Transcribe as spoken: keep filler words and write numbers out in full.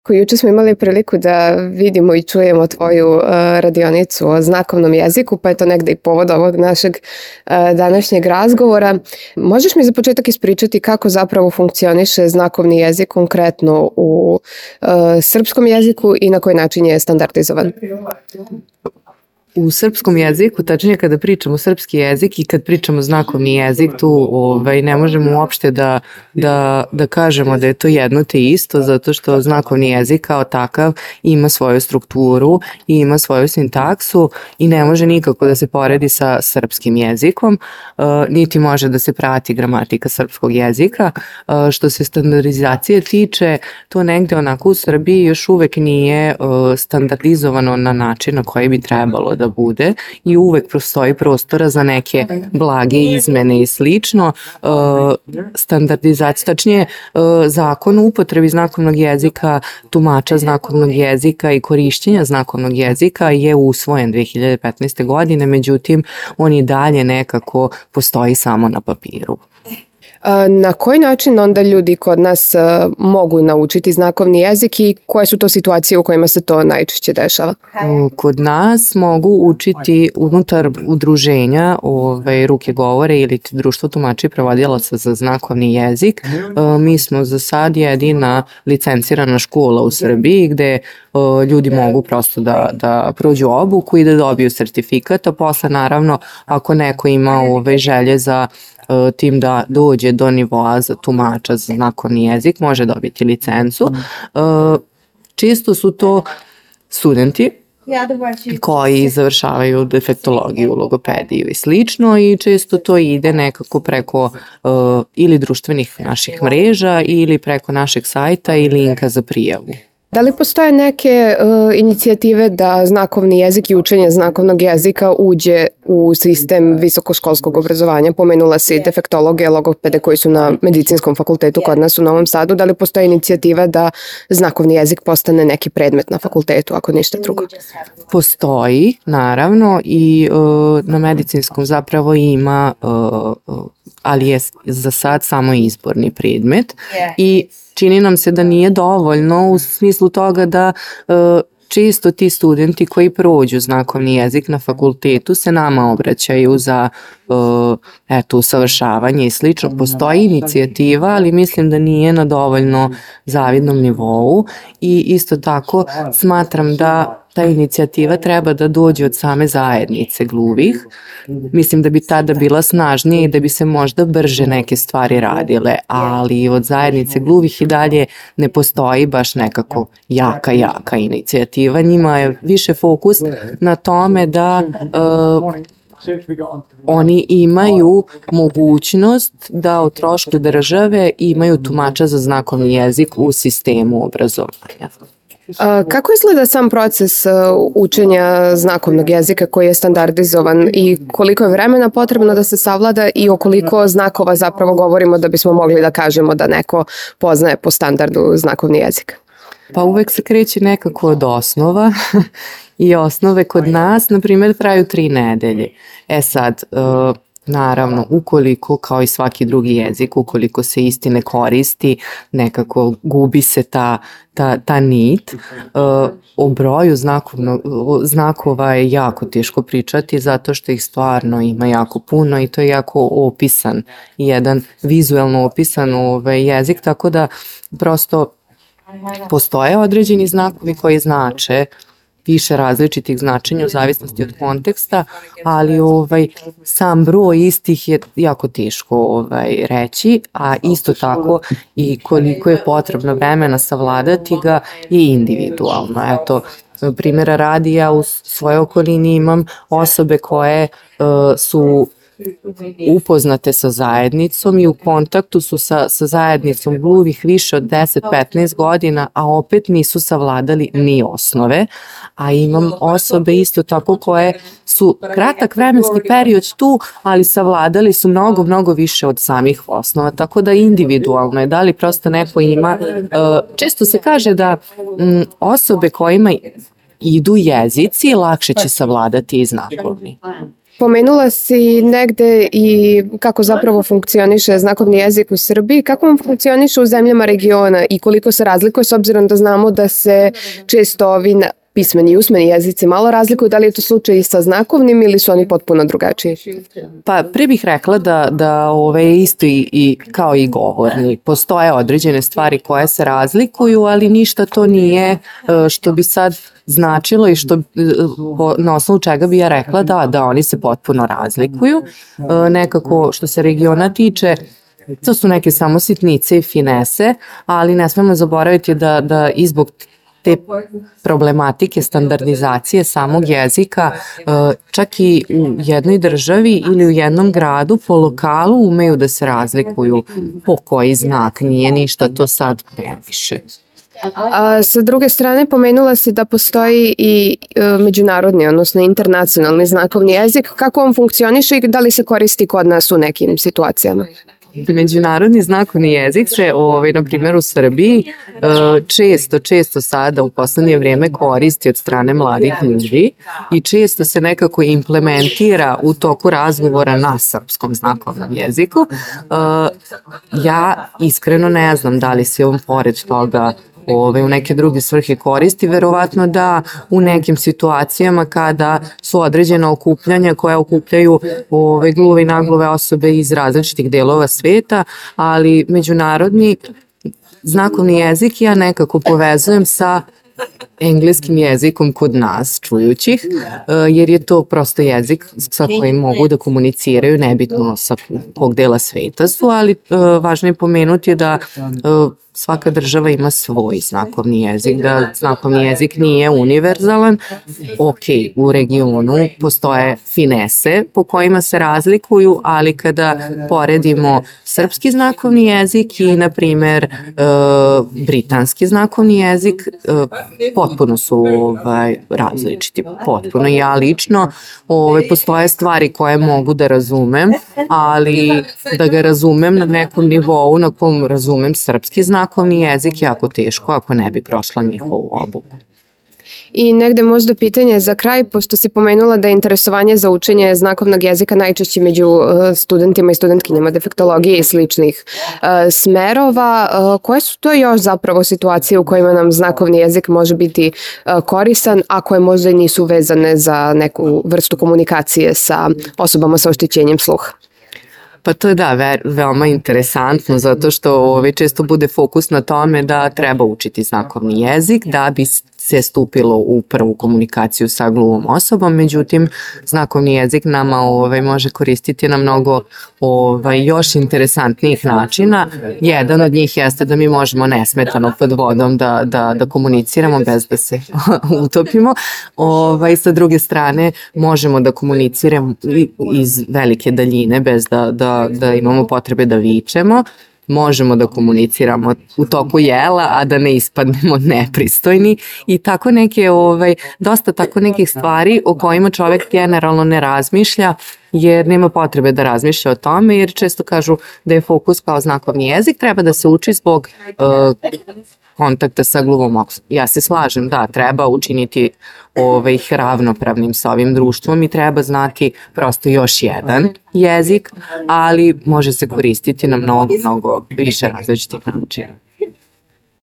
Juče smo imali priliku da vidimo i čujemo tvoju uh, radionicu o znakovnom jeziku, pa je to negde i povod ovog našeg uh, današnjeg razgovora. Možeš mi za početak ispričati kako zapravo funkcioniše znakovni jezik konkretno u uh, srpskom jeziku i na koji način je standardizovan? U srpskom jeziku, tačnije kada pričamo srpski jezik i kad pričamo znakovni jezik, tu ovaj, ne možemo uopšte da, da, da kažemo da je to jedno te isto, zato što znakovni jezik kao takav ima svoju strukturu i ima svoju sintaksu i ne može nikako da se poredi sa srpskim jezikom, uh, niti može da se prati gramatika srpskog jezika. Uh, što se standardizacije tiče, to negde onako u Srbiji još uvek nije uh, standardizovano na način na koji bi trebalo da bude i uvek postoji prostora za neke blage izmene i slično. Standardizacija, tačnije zakon o upotrebi znakovnog jezika, tumača znakovnog jezika i korišćenja znakovnog jezika je usvojen dve hiljade petnaeste. godine, međutim on i dalje nekako postoji samo na papiru. Na koji način onda ljudi kod nas mogu naučiti znakovni jezik i koje su to situacije u kojima se to najčešće dešava? Kod nas mogu učiti unutar udruženja ovaj, ruke govore ili društvo tumača i prevodilaca za znakovni jezik. Mi smo za sad jedina licencirana škola u Srbiji gde ljudi mogu prosto da, da prođu obuku i da dobiju sertifikat, a posle naravno ako neko ima ove želje za tim da dođe do nivoa za tumača za znakovni jezik, može dobiti licencu. Često su to studenti koji završavaju defektologiju, logopediju i slično i često to ide nekako preko uh, ili društvenih naših mreža ili preko našeg sajta i linka za prijavu. Da li postoje neke uh, inicijative da znakovni jezik i učenje znakovnog jezika uđe u sistem visokoškolskog obrazovanja? Pomenula si defektologe, logopede koji su na medicinskom fakultetu kod nas u Novom Sadu. Da li postoje inicijativa da znakovni jezik postane neki predmet na fakultetu, ako ništa drugo? Postoji, naravno, i uh, na medicinskom zapravo ima, uh, ali je za sad samo izborni predmet i čini nam se da nije dovoljno u smislu toga da uh, često ti studenti koji prođu znakovni jezik na fakultetu se nama obraćaju za uh, eto, usavršavanje i slično. Postoji inicijativa, ali mislim da nije na dovoljno zavidnom nivou i isto tako smatram da ta inicijativa treba da dođe od same zajednice gluvih. Mislim da bi tada bila snažnija i da bi se možda brže neke stvari radile, ali od zajednice gluvih i dalje ne postoji baš nekako jaka, jaka inicijativa. Njima je više fokus na tome da uh, oni imaju mogućnost da o trošku države imaju tumača za znakovni jezik u sistemu obrazovanja. Kako izgleda sam proces učenja znakovnog jezika koji je standardizovan i koliko je vremena potrebno da se savlada i o koliko znakova zapravo govorimo da bismo mogli da kažemo da neko poznaje po standardu znakovni jezik? Pa uvek se kreće nekako od osnova i osnove kod nas, na primjer, traju tri nedelje. E sad, uh, naravno, ukoliko, kao i svaki drugi jezik, ukoliko se isti ne koristi, nekako gubi se ta, ta, ta nit. Uh, o broju znakovno, znakova je jako teško pričati zato što ih stvarno ima jako puno i to je jako opisan, jedan vizuelno opisan ovaj jezik, tako da prosto postoje određeni znakovi koji znače više različitih značenja u zavisnosti od konteksta, ali ovaj, sam broj istih je jako teško ovaj, reći, a isto tako i koliko je potrebno vremena savladati ga je individualno. Eto, primjera radi, ja u svojoj okolini imam osobe koje uh, su upoznate sa zajednicom i u kontaktu su sa, sa zajednicom gluvih više od deset do petnaest godina, a opet nisu savladali ni osnove, a imam osobe isto tako koje su kratak vremenski period tu, ali savladali su mnogo, mnogo više od samih osnova, tako da individualno je, da li prosto neko ima, često se kaže da osobe kojima idu jezici lakše će savladati i znakovni. Pomenula si negde i kako zapravo funkcioniše znakovni jezik u Srbiji. Kako on funkcioniše u zemljama regiona i koliko se razlikuje, s obzirom da znamo da se često ovi na- pismeni i usmeni jezici malo razlikuju, da li je to slučaj i sa znakovnim ili su oni potpuno drugačiji? Pa pre bih rekla da, da ove je isto i, i kao i govorni. Postoje određene stvari koje se razlikuju, ali ništa to nije e, što bi sad značilo i što e, po- na osnovu čega bi ja rekla da, da oni se potpuno razlikuju. E, Nekako što se regiona tiče, to su neke samo sitnice i finese, ali ne smemo zaboraviti da, da i zbog te problematike standardizacije samog jezika, e, čak i u jednoj državi ili u jednom gradu po lokalu umeju da se razlikuju po koji znak, nije ništa to sad previše. A sa druge strane, pomenula si da postoji i e, međunarodni, odnosno internacionalni znakovni jezik. Kako on funkcioniše i da li se koristi kod nas u nekim situacijama? Međunarodni znakovni jezik se, ovaj, na primjer u Srbiji, e, često, često sada u poslednje vrijeme koristi od strane mladih ljudi i često se nekako implementira u toku razgovora na srpskom znakovnom jeziku. E, Ja iskreno ne znam da li se on pored toga ove, u neke druge svrhe koristi, verovatno da u nekim situacijama kada su određena okupljanja koja okupljaju ove, gluve i nagluve osobe iz različitih delova sveta, ali međunarodni znakovni jezik ja nekako povezujem sa engleskim jezikom kod nas čujućih, e, jer je to prosto jezik sa kojim mogu da komuniciraju, nebitno sa kog dela sveta su, ali e, važno je pomenuti da e, svaka država ima svoj znakovni jezik, da znakovni jezik nije univerzalan. Ok, u regionu postoje finese po kojima se razlikuju, ali kada poredimo srpski znakovni jezik i, na primer, e, britanski znakovni jezik, e, potpuno su ovaj, različiti, potpuno. Ja lično ovaj, postoje stvari koje mogu da razumem, ali da ga razumem na nekom nivou na kom razumem srpski znakovni jezik jako teško ako ne bi prošla njihovu obuku. I negde možda pitanje za kraj, pošto si pomenula da je interesovanje za učenje znakovnog jezika najčešće među e, studentima i studentkinjama defektologije i sličnih e, smerova. E, Koje su to još zapravo situacije u kojima nam znakovni jezik može biti e, koristan, a koje možda i nisu vezane za neku vrstu komunikacije sa osobama sa oštećenjem sluha? Pa to je da, ve, veoma interesantno zato što ovaj, često bude fokus na tome da treba učiti znakovni jezik da bi se stupilo u prvu komunikaciju sa gluvom osobom, međutim znakovni jezik nama ovaj, može koristiti na mnogo ovaj, još interesantnijih načina. Jedan od njih jeste da mi možemo nesmetano pod vodom da, da, da komuniciramo bez da se utopimo. Ovaj, sa druge strane možemo da komuniciramo iz velike daljine bez da, da, da imamo potrebe da vičemo. Možemo da komuniciramo u toku jela, a da ne ispadnemo nepristojni i tako neke, ovaj, dosta tako nekih stvari o kojima čovek generalno ne razmišlja, jer nema potrebe da razmišlja o tome, jer često kažu da je fokus kao znakovni jezik, treba da se uči zbog uh, kontakta sa gluvom osobom. Ja se slažem, da, treba učiniti ovaj, ih ravnopravnim sa ovim društvom i treba znati prosto još jedan jezik, ali može se koristiti na mnogo, mnogo više različitih načina.